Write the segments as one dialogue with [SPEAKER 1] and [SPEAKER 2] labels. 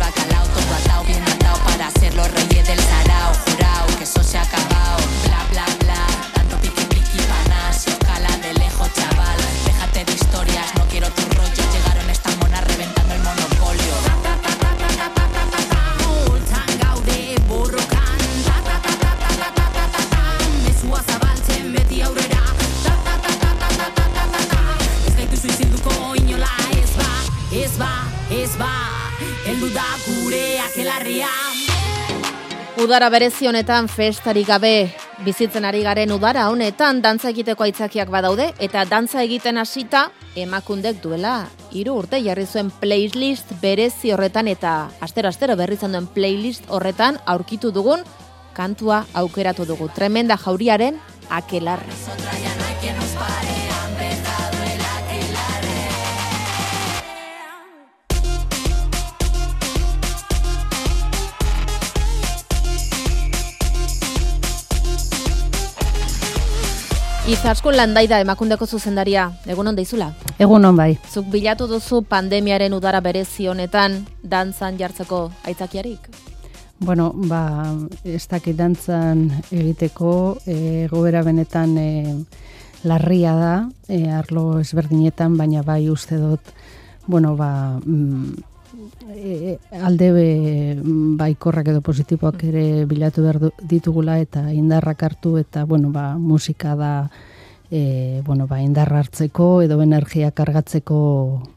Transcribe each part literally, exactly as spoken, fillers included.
[SPEAKER 1] bacalao, todo atado, bien atado para ser los reyes del sarao. Jurao, que eso se ha acabado, bla, bla, bla. Tanto piqui, piqui, panas, y escala de lejos, chaval. Déjate de historias, no quiero tus rollos. Llegaron estas monas reventando el monopolio. Multan gaude borrokan, mesua zabaltzen beti aurrera. Ez gaitu suizilduko inola ez ba, ez ba, ez ba, heldu da gure akelarria.
[SPEAKER 2] Udara berezi honetan festarik gabe bizitzen ari garen udara honetan dantza egiteko aitzakiak badaude eta dantza egiten hasita emakundek duela hiru urte jarri zuen playlist berezi horretan eta astero-astero berri izan duen playlist horretan aurkitu dugun kantua aukeratu dugu. Tremenda jauriaren Aquelarre. Izaskun Landaida emakundeko zuzendaria, egun on deizula?
[SPEAKER 3] Egun on bai.
[SPEAKER 2] Zuk bilatu duzu pandemiaren udara berezi honetan dantzan jartzeko aitzakiarik?
[SPEAKER 3] Bueno, ba, ez dakit dantzan egiteko egoera benetan e, larria da, e, arlo ezberdinetan, baina bai uste dut, bueno, ba, mm, e, alde be, baikorrak edo positiboak ere bilatu behar ditugula eta indarrak hartu eta, bueno, ba, musika da, e, bueno, ba, indarra hartzeko edo energia kargatzeko,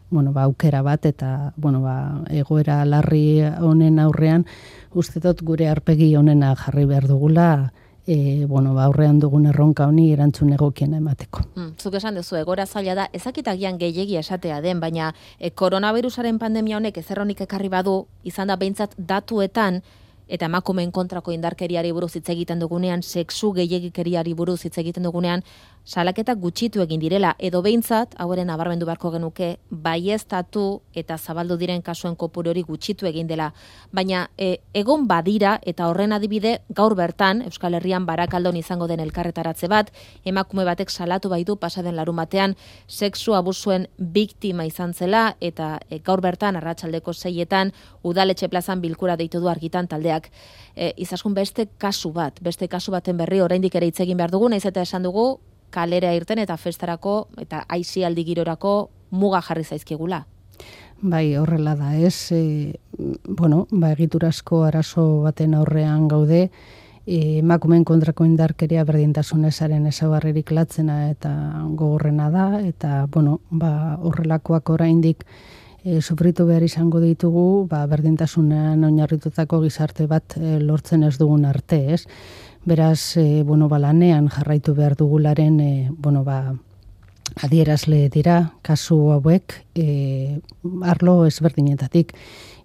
[SPEAKER 3] bueno, ba, aukera bat eta, bueno, ba, egoera larri honen aurrean, uste dut gure arpegi honena jarri behar dugula, e, bueno, ba, aurrean dugun erronka honi erantzun egokiena emateko.
[SPEAKER 2] Mm, zuk esan duzu, egoera zaila da, ezakitagian gehiegi esatea den, baina e, koronavirusaren pandemia honek ezerronik ekarri badu, izan da behintzat datuetan, eta emakumeen kontrako indarkeriari buruz hitz egiten dugunean, sexu gehiegikeriari buruz hitz egiten dugunean, salaketak gutxitu egin direla, edo behintzat, hauren nabarmendu beharko genuke, baieztatu eta zabaldu diren kasuen kopuru hori gutxitu egin dela. Baina e, egon badira, eta horren adibide, gaur bertan, Euskal Herrian Barakaldon izango den elkarretaratze bat, emakume batek salatu baitu pasaden larumatean, sexu abusuen biktima izan zela, eta e, gaur bertan, arratsaldeko seietan, udaletxe plazan bilkura deitu du argitan taldeak. E, izaskun beste kasu bat, beste kasu baten berri oraindik ere hitz egin behar dugu, naiz eta esan dugu, kalera irten eta festarako eta aisialdi girorako muga jarri zaizkigula.
[SPEAKER 3] Bai, horrela da, ez? E, bueno, ba, egiturazko arazo baten aurrean gaude, e, emakumeen kontrako indarkeria berdintasun ezaren ezaugarririk latzena eta gogorrena da, eta, bueno, ba, horrelakoak oraindik e, sufritu behar izango ditugu, ba, berdintasunean oinarritutako gizarte bat e, lortzen ez dugun arte, ez? Beraz, e, bueno, ba, lanean jarraitu behar dugularen, e, bueno, ba, adierazle dira, kasu hauek, e, arlo ezberdinetatik,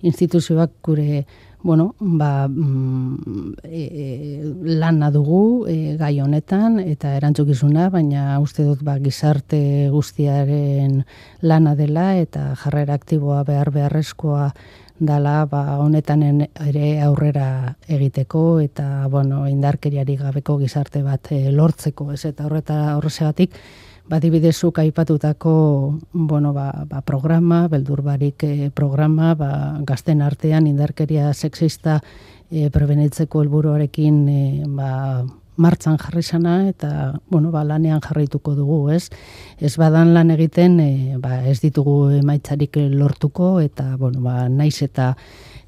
[SPEAKER 3] instituzioak gure, bueno, ba, mm, e, lana dugu e, gai honetan, eta erantzukizuna, baina uste dut ba, gizarte guztiaren lana dela, eta jarrera aktiboa behar beharrezkoa dala ba, honetan ere aurrera egiteko eta bueno, indarkeriari gabeko gizarte bat e, lortzeko, ez eta horreta horregatik badibidezuk aipatutako bueno, ba, ba, programa, beldurbarik e, programa, ba, gazten artean indarkeria sexista e, prebenitzeko helburuarekin e, ba, martzan jarri sana eta bueno, ba, lanean jarraituko dugu, ez? Ez badan lan egiten, e, ba, ez ditugu emaitzarik lortuko eta bueno, ba, naiz eta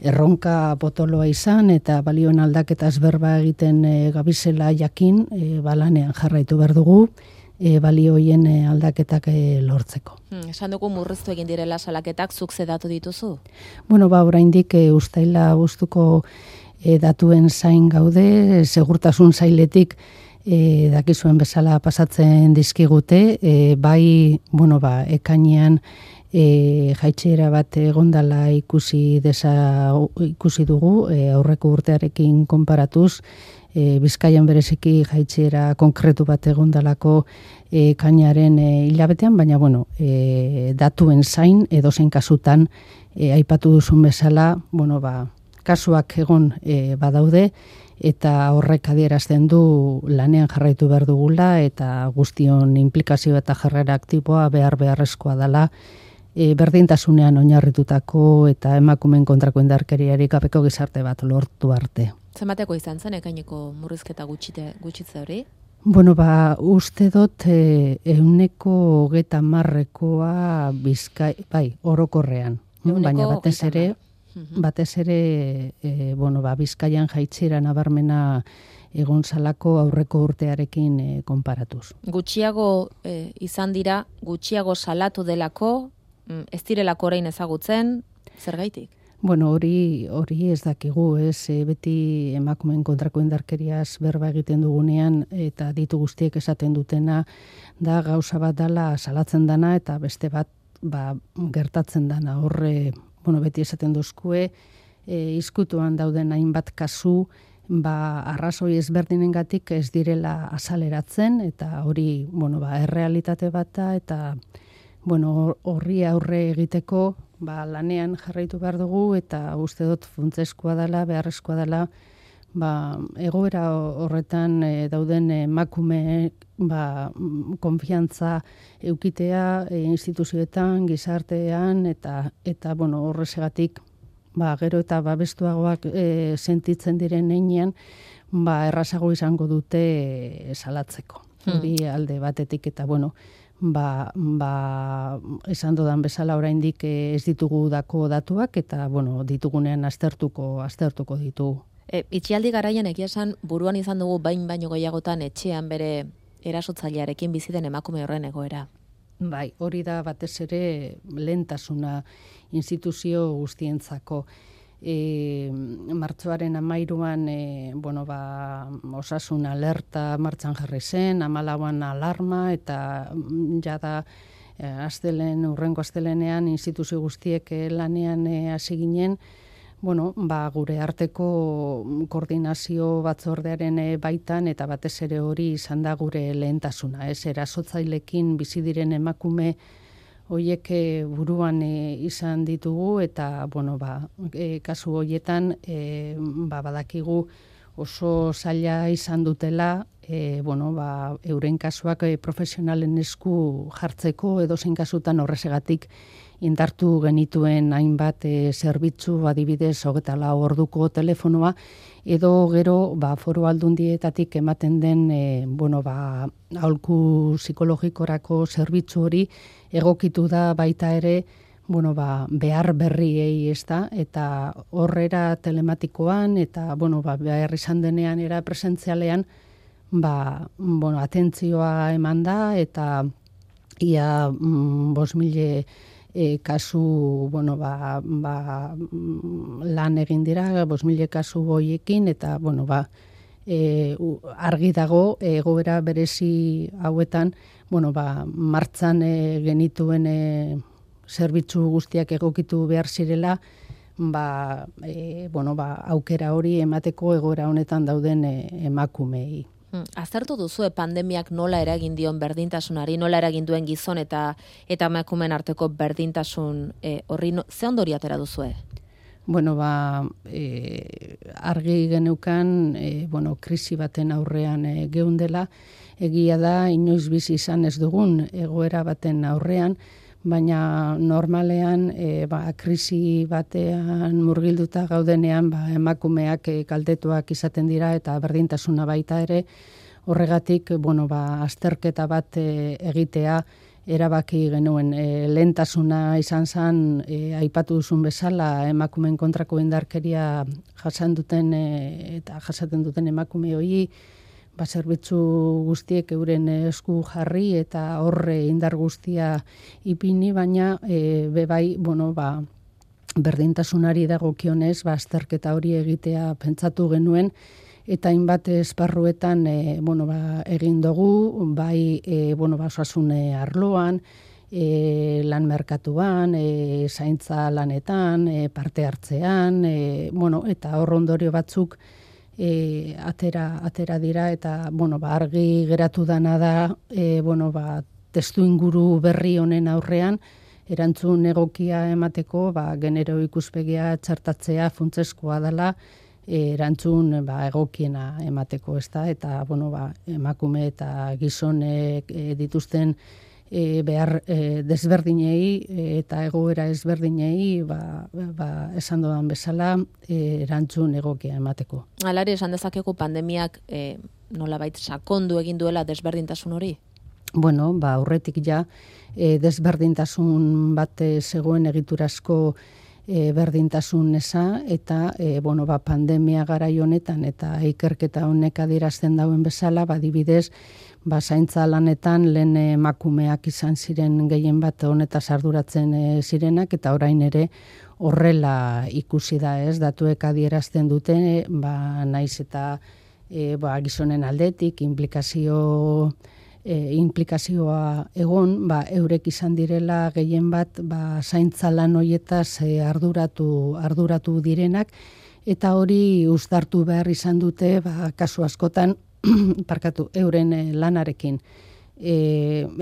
[SPEAKER 3] erronka potoloa izan eta balioen aldaketaz berba egiten e, gabizela jakin, e, ba, lanean jarraitu behar dugu, e, balioien e, aldaketak e, lortzeko.
[SPEAKER 2] Hmm, esan dugu murriztu egin direla salaketak, zuk zedatu dituzu?
[SPEAKER 3] Bueno, ba, oraindik e, ustaila guztuko E, datuen zain gaude, segurtasun zailetik e, dakizuen bezala pasatzen dizkigute, e, bai, bueno, ba, ekainean e, jaitxera bat egondala ikusi desa, ikusi dugu, e, aurreko urtearekin konparatuz, e, Bizkaian bereziki jaitxera konkretu bat egondalako e, ekainaren e, hilabetean, baina, bueno, e, datuen zain, edozein kasutan, e, aipatu duzun bezala, bueno, ba, kasuak egon e, badaude eta horrek adierazten du lanean jarraitu behar dugula eta guztion implikazio eta jarrera aktiboa behar beharrezkoa dela e, berdintasunean oinarritutako eta emakumeen kontrako indarkeriarik gabeko gizarte bat lortu arte.
[SPEAKER 2] Zenbateko izan zen ekaineko murrizketa gutxite, gutxitze hori?
[SPEAKER 3] Bueno, ba, uste dut e, euneko hogeta marrekoa bizkai, bai, orokorrean.
[SPEAKER 2] Euneko
[SPEAKER 3] Baina batez ere,
[SPEAKER 2] Mhm.
[SPEAKER 3] batez ere, e, bueno, ba, Bizkaian jaitsiera nabarmena egon zalako aurreko urtearekin e, konparatuz.
[SPEAKER 2] Gutxiago eh, izan dira, gutxiago salatu delako, mm, ez direlako orain ezagutzen, zergaitik?
[SPEAKER 3] Bueno, hori hori ez dakigu, ez, e, beti emakumeen kontrako indarkeriaz berba egiten dugunean eta ditu guztiek esaten dutena da gauza bat dala salatzen dana eta beste bat ba, gertatzen dana. Horre, bueno, beti esaten dozkue, e, izkutuan dauden hainbat kasu, ba, arrazoi ezberdinengatik ez direla azaleratzen eta hori, bueno, ba, errealitate bat da eta bueno, horri aurre egiteko ba, lanean jarraitu behar dugu eta uste dut funtsezkoa dela, beharrezkoa dela, ba, egoera horretan e, dauden emakume ba, konfiantza eukitea e, instituzioetan, gizartean eta eta bueno, horrezegatik ba, gero eta babestuagoak e, sentitzen diren heinean, ba, errazago izango dute e, salatzeko. Hori alde batetik eta bueno, ba, ba, esan dodan bezala oraindik ez ditugu dako datuak eta bueno, ditugunean aztertuko, aztertuko ditugu.
[SPEAKER 2] E, itxialdi garaian egia esan buruan izan dugu bain baino gehiagotan etxean bere erasotzailearekin bizi den emakume horren egoera.
[SPEAKER 3] Bai, hori da batez ere lehentasuna instituzio guztientzako. E, martxoaren amairuan e, bueno, ba, osasun alerta martxan jarri zen, hamalauan alarma eta jada e, astelen, urrengo astelenean instituzio guztiek e, lanean e, hasi ginen, bueno, ba, gure arteko koordinazio batzordearen e, baitan eta batez ere hori izan da gure lehentasuna, ez, erasotzailekin bizi diren emakume hoiek buruan e, izan ditugu eta bueno, ba, e, kasu hoietan e, ba, badakigu oso zaila izan dutela e, bueno, ba, euren kasuak e, profesionalen esku jartzeko edozein kasutan horrezegatik indartu genituen hainbat e, zerbitzu, adibidez hogeita lau orduko telefonoa edo gero ba, foru aldundietatik ematen den e, bueno, ba, aholku psikologikorako zerbitzu hori egokitu da baita ere bueno, ba, behar berriei ez da, eta horrera telematikoan eta bueno, ba, behar izan denean era presentzialean ba, bueno, atentzioa eman da eta ia mm, bos mile E, kasu, bueno, ba, ba, lan egin dira, bos mile kasu hoiekin, eta, bueno, ba, e, argi dago, egoera berezi hauetan, bueno, ba, martzan e, genituen e, zerbitzu guztiak egokitu behar zirela, ba, e, bueno, ba, aukera hori emateko egoera honetan dauden e, emakumei.
[SPEAKER 2] Aztertu duzue pandemiak nola eragin dion berdintasunari, nola eragin duen gizon eta eta emakumeen arteko berdintasun e, horri no, ze ondori atera duzue?
[SPEAKER 3] Bueno, ba, e, argi geneukan, e, bueno, krisi baten aurrean e, geundela, egia da, inoiz bizi izan ez dugun egoera baten aurrean, baina normalean e, ba, krisi batean murgilduta gaudenean ba, emakumeak e, kaltetuak izaten dira eta berdintasuna baita ere, horregatik bueno, ba, azterketa bat e, egitea erabaki genuen. E, lehentasuna izan zen, e, aipatu duzun bezala, emakumeen kontrako indarkeria jasan duten e, eta jasaten duten emakume hori, ba, zerbitzu guztiek euren esku jarri eta horre indar guztia ipini, baina e, bebai, bueno, ba, berdintasunari dagokionez, ba, azterketa hori egitea pentsatu genuen, eta hainbat esparruetan e, bueno, ba, egin dugu, bai e, bueno, ba, osasun arloan, e, lan merkatuan, e, zaintza lanetan, e, parte hartzean, e, bueno, eta hor ondorio batzuk E, atera, atera dira eta bueno, ba, argi geratu dana da e, bueno, ba, testu inguru berri honen aurrean erantzun egokia emateko ba, genero ikuspegia txartatzea funtsezkoa dela e, erantzun ba, egokiena emateko ez da, eta bueno, ba, emakume eta gizonek e, dituzten e, behar e, desberdinei eta egoera ezberdinei ba, ba, esan dodan bezala e, erantzun egokia emateko.
[SPEAKER 2] Alare esan dezakegu pandemiak e, nolabait sakondu egin duela desberdintasun hori?
[SPEAKER 3] Bueno, ba, aurretik ja e, desberdintasun bat zegoen egiturazko e, berdintasun eza, eta e, bueno, ba, pandemia garai honetan eta ikerketa honek adierazten dauen bezala, ba, adibidez, ba, zaintza lanetan lehen emakumeak izan ziren gehien bat honetaz arduratzen e, zirenak, eta orain ere horrela ikusi da, ez, datuek adierazten dute, ba, naiz eta e, ba, gizonen aldetik, implikazio E, implikazioa egon, ba, eurek izan direla gehien bat ba, zaintza lan hoietaz e, arduratu, arduratu direnak, eta hori uztartu behar izan dute ba, kasu askotan parkatu euren e, lanarekin. E,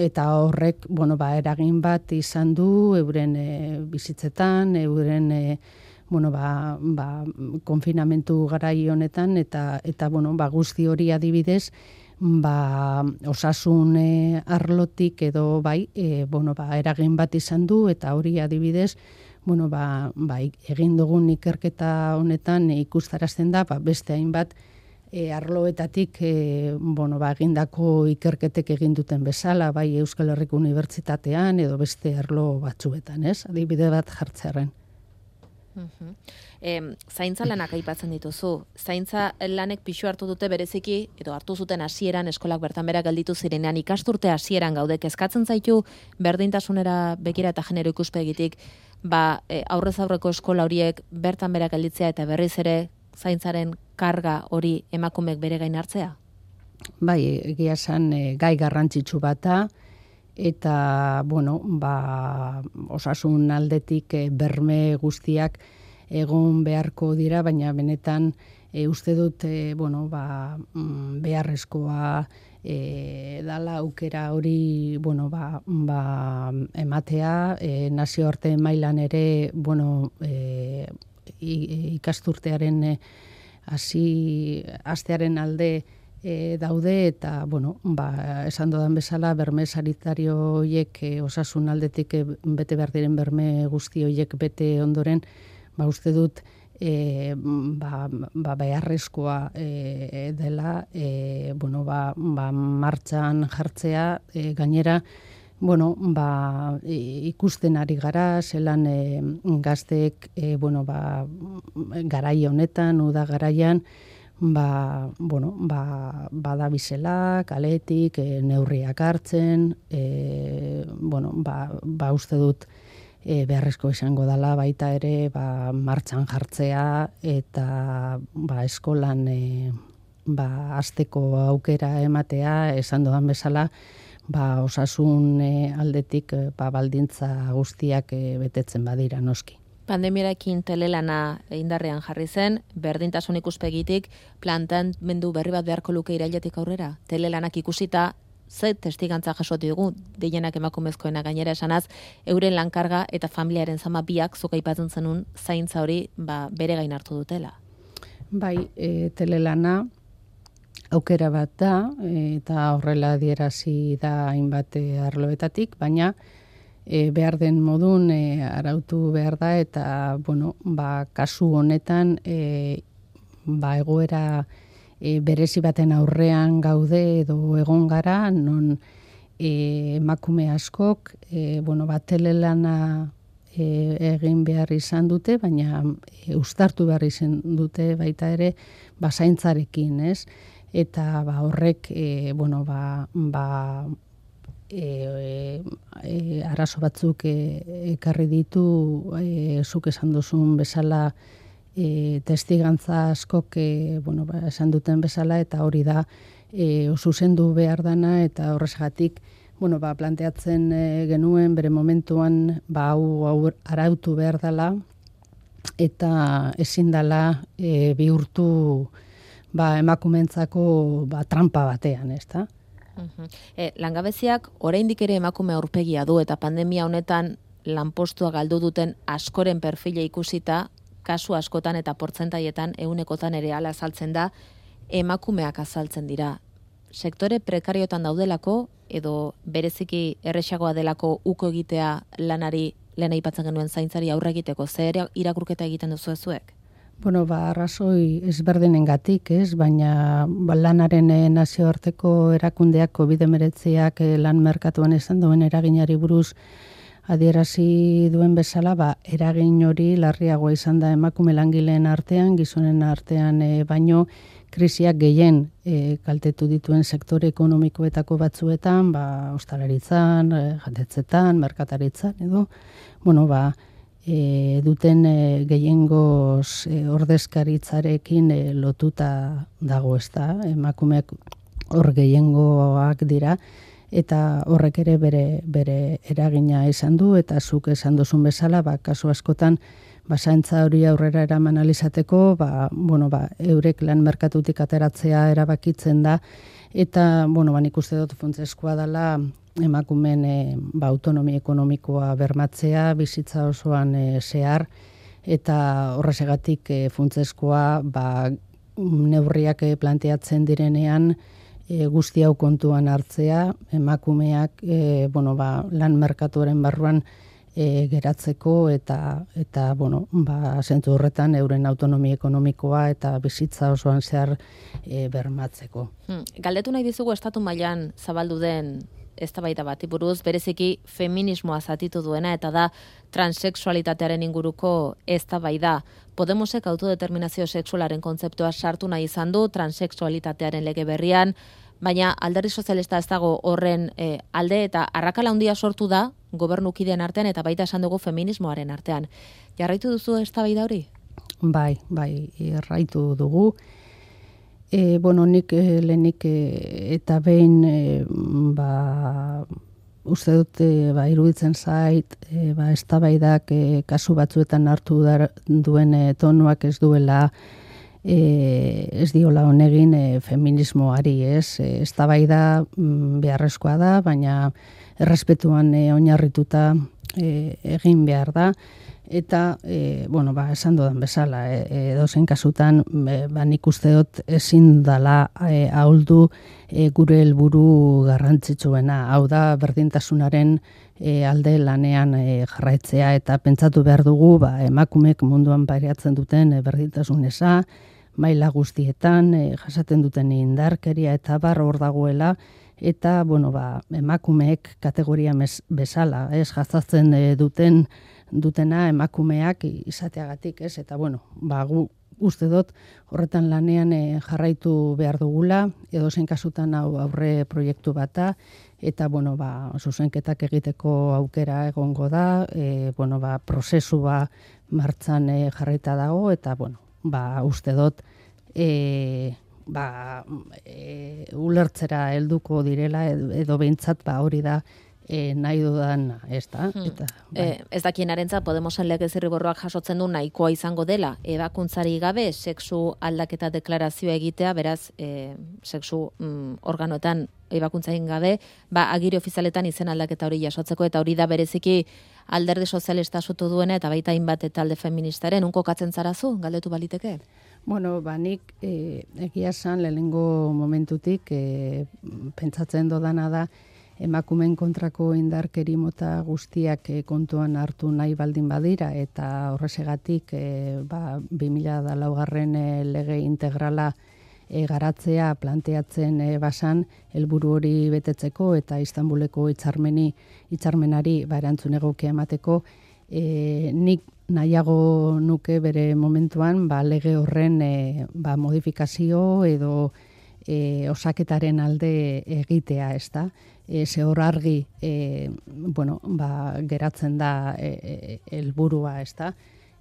[SPEAKER 3] eta horrek bueno, ba, eragin bat izan du euren e, bizitzetan, euren e, bueno, ba, ba, konfinamentu garai honetan, eta, eta bueno, ba, guzti hori adibidez, ba, osasun e, arlotik edo bai, e, bueno, ba, eragin bat izan du, eta hori adibidez, bueno, ba, ba, egin dugun ikerketa honetan e, ikustarazten da, ba, beste hainbat e, arloetatik e, bueno, ba, egindako ikerketek egin duten bezala, bai Euskal Herriko Unibertsitatean edo beste arlo batzuetan, ez? Adibide bat jartzearen.
[SPEAKER 2] Uh-huh. E, zaintza lanak aipatzen dituzu. Zaintza lanek pixu hartu dute bereziki, edo hartu zuten hasieran eskolak bertan bera gelditu zirenean, ikasturte hasieran gaude, kezkatzen zaitu berdintasunera begira eta genero ikuspegitik, ba, e, aurrez aurreko eskola horiek bertan bera gelditzea eta berriz ere zaintzaren karga hori emakumeek bere gain hartzea?
[SPEAKER 3] Bai, egia esan e, gai garrantzitsu bata, eta, bueno, ba, osasun aldetik e, berme guztiak egon beharko dira, baina benetan e, uste dut, e, bueno, ba, beharrezkoa e, dala aukera hori, bueno, ba, ba, ematea, e, nazioarte mailan ere, bueno, e, ikasturtearen e, hasi astearen alde E, daude, eta, bueno, ba, esan dodan bezala, berme sanitario horiek e, osasun aldetik e, bete behar diren berme guzti horiek bete ondoren, ba, uste dut, e, ba, ba, beharrezkoa e, dela, e, bueno, ba, ba, martxan jartzea, e, gainera, bueno, ba, ikusten ari gara, zelan e, gazteek, e, bueno, ba, garai honetan, uda garaian, ba, bueno, ba, badabizela, kaletik, e, neurriak hartzen, e, bueno, ba, ba uste dut e, beharrezko izango dela baita ere ba, martxan jartzea eta ba, eskolan e, ba, hasteko aukera ematea, esan dodan bezala, ba, osasun e, aldetik ba, baldintza guztiak e, betetzen badira noski.
[SPEAKER 2] Pandemiarekin telelana indarrean jarri zen, berdintasun ikuspegitik planteamendu berri bat beharko luke irailetik aurrera. Telelanak ikusita, ze testigantza jasoti dugu, deienak emakumezkoena gainera esanaz, euren lankarga eta familiaren zama biak zuk aipatzen zenun zaintza hori ba, bere gain hartu dutela.
[SPEAKER 3] Bai, e, telelana aukera bat da, e, eta horrela adierazi da hainbat arloetatik, baina E, behar den modun e, arautu behar da, eta bueno, ba, kasu honetan e, ba, egoera e, berezi baten aurrean gaude edo egon gara, non e, emakume askok e, bueno, ba, telelana e, egin behar izan dute, baina e, uztartu behar izan dute baita ere ba, zaintzarekin, ez? Eta ba, horrek e, bueno, ba, ba, E, e, arazo batzuk e, ekarri ditu e, zuk esan duzun bezala e, testigantza askok e, bueno, ba, esan duten bezala, eta hori da e, zuzendu behar dana, eta horrezgatik bueno, ba, planteatzen e, genuen bere momentuan ba, hau, hau arautu behar dela, eta ezin dela e, bihurtu ba, emakumentzako ba, trampa batean, ez da?
[SPEAKER 2] Uh-huh. E, langabeziak oraindik ere emakume aurpegia du, eta pandemia honetan lanpostua galdu duten askoren perfile ikusita, kasu askotan eta portzentaietan ehunekotan ere ala azaltzen da, emakumeak azaltzen dira. sektore prekariotan daudelako, edo bereziki erresagoa delako uko egitea lanari, lehen aipatzen genuen zaintzari aurre egiteko, zer irakurketa egiten duzu ezuek?
[SPEAKER 3] Bueno, ba, arrazoi ezberdinengatik, ez, baina ba, lanaren e, nazioarteko erakundeak covid hemeretziak e, lan merkatuan izan duen eraginari buruz adierazi duen bezala, ba, eragin hori larriagoa izan da emakume langileen artean, gizonen artean e, baino krisiak gehien e, kaltetu dituen sektore ekonomikoetako batzuetan, ba, ostalaritzan, e, jatetzetan, merkataritzan, edo, bueno, ba, E, duten e, gehiengoz e, ordezkaritzarekin e, lotuta dago, ezta, emakumeak hor gehiengoak dira, eta horrek ere bere, bere eragina izan du, eta zuk esan duzun bezala, ba, kasu askotan, basaintza hori aurrera eraman alizateko, ba, bueno, ba, eurek lan merkatutik ateratzea erabakitzen da, eta, bueno, ba, nik uste dut funtsezkoa dela, emakumen e, ba, autonomi ekonomikoa bermatzea, bizitza osoan e, zehar, eta horrezegatik e, funtsezkoa ba, neurriak e, planteatzen direnean e, guzti hau kontuan hartzea, emakumeak e, bueno, ba, lan merkatuaren barruan e, geratzeko eta, eta bueno, ba, zentzu horretan euren autonomi ekonomikoa eta bizitza osoan zehar e, bermatzeko.
[SPEAKER 2] Hmm. Galdetu nahi dizugu estatu mailan zabaldu den eztabaida bati buruz, bereziki feminismoa zatitu duena, eta da transexualitatearen inguruko eztabaida. Podemosek autodeterminazio sexualaren kontzeptua sartu nahi izan du transexualitatearen lege berrian, baina alderdi sozialista ez dago horren e, alde, eta arrakala handia sortu da gobernukideen artean eta baita esan dugu feminismoaren artean. Jarraitu duzu eztabaida hori?
[SPEAKER 3] Bai, bai, jarraitu dugu. E, bueno, nik e, lehenik e, eta behin e, ba, uste dut e, ba, iruditzen zait e, ba, eztabaidak e, kasu batzuetan hartu dar, duen e, tonuak ez duela e, ez diola honegin e, feminismoari, ez? E, eztabaida mm, beharrezkoa da, baina errespetuan e, oinarrituta e, egin behar da. Eta, e, bueno, ba, esan dudan bezala, e, edozein kasutan, e, ba, nik uste dut ezin dala e, ahuldu e, gure helburu garrantzitsuena. Hau da, berdintasunaren e, alde lanean e, jarraitzea, eta pentsatu behar dugu, ba, emakumek munduan pairatzen duten e, berdintasun eza, maila guztietan, e, jasaten duten indarkeria eta bar hor dagoela, eta, bueno, ba, emakumeek kategoria mes, bezala, ez, jasatzen e, duten dutena emakumeak izateagatik, ez? Eta, bueno, ba, gu uste dut horretan lanean e, jarraitu behar dugula, edozein kasutan hau aurre proiektu bata, eta, bueno, ba, zuzenketak egiteko aukera egongo da, e, bueno, ba, prozesua martxan e, jarraita dago, eta, bueno, ba, uste dut e, ba, e, ulertzera helduko direla, edo, edo behintzat, ba, hori da, E, nahi dudan, ez da.
[SPEAKER 2] Hmm.
[SPEAKER 3] Eta, bai.
[SPEAKER 2] e, ez dakien arentzat, Podemosen legez zirriborroak jasotzen du nahikoa izango dela, ebakuntzari gabe, sexu aldaketa deklarazioa egitea, beraz, e, sexu mm, organoetan ebakuntzain gabe, ba, agiri ofizialetan izen aldaketa hori jasotzeko, eta hori da bereziki alderdi sozialista sotu duena, eta baita hainbat talde feministaren, unko katzen zarazu, galdetu baliteke?
[SPEAKER 3] Bueno, ba, nik e, egia esan lehenengo momentutik e, pentsatzen dodana da, emakumeen kontrako indarkeri mota guztiak e, kontuan hartu nahi baldin badira, eta horrezegatik e, ba, bi mila laugarren e, lege integrala e, garatzea planteatzen e, basan, helburu hori betetzeko eta Istanbuleko hitzarmeni hitzarmenari ba, erantzun egokia emateko, e, nik nahiago nuke bere momentuan ba, lege horren e, ba, modifikazio edo e, osaketaren alde egitea, ez da? E, ze hor argi e, bueno, ba, geratzen da helburua, e, ez da?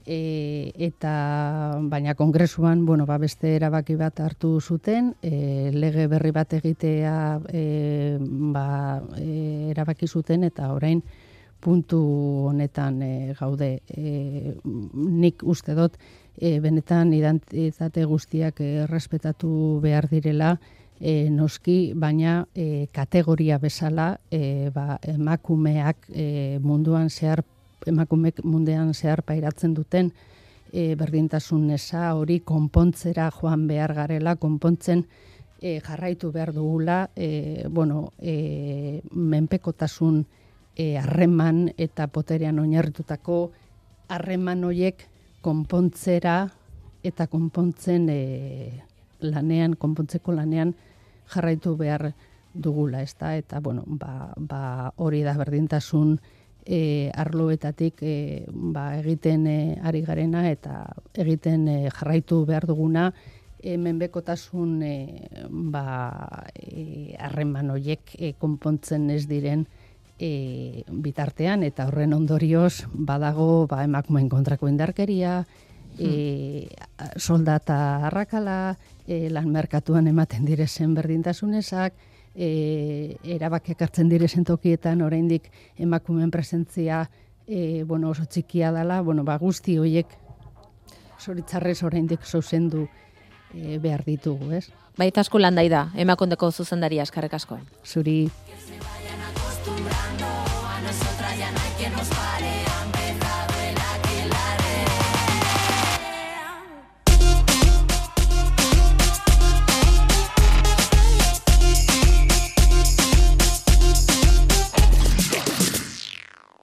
[SPEAKER 3] E, eta baina kongresuan bueno, ba, beste erabaki bat hartu zuten, e, lege berri bat egitea e, ba, e, erabaki zuten, eta orain puntu honetan e, gaude. E, nik uste dut e, benetan identitate guztiak errespetatu behar direla, E, noski, baina e, kategoria bezala e, ba, emakumeak e, munduan zehar, emakumeek mundean zehar pairatzen duten e, berdintasun eza hori konpontzera joan behar garela, konpontzen e, jarraitu behar dugula, e, bueno, e, menpekotasun e, harreman eta poterean oinarritutako harreman horiek konpontzera eta konpontzen e, lanean, konpontzeko lanean jarraitu behar dugula, ezta? Eta bueno, ba, ba hori da berdintasun e, arloetatik e, ba, egiten e, ari garena eta egiten e, jarraitu behar duguna e, menpekotasun e, ba harreman e, horiek e, konpontzen ez diren e, bitartean eta horren ondorioz badago ba, emakumeen kontrako indarkeria, E, soldata arrakala, e, lan merkatuan ematen direzen berdintasunesak, e, erabakiak hartzen direzen tokietan oraindik emakumeen presentzia e, bueno, oso txikia dela, bueno, ba, guzti horiek zoritzarrez oraindik zuzendu e, behar ditugu, ez?
[SPEAKER 2] Baita asko landai da, emakundeko zuzendaria, eskerrik asko.
[SPEAKER 3] Zuri.
[SPEAKER 1] Que se vayan acostumbrando a nosotras ya no hay quien nos pare.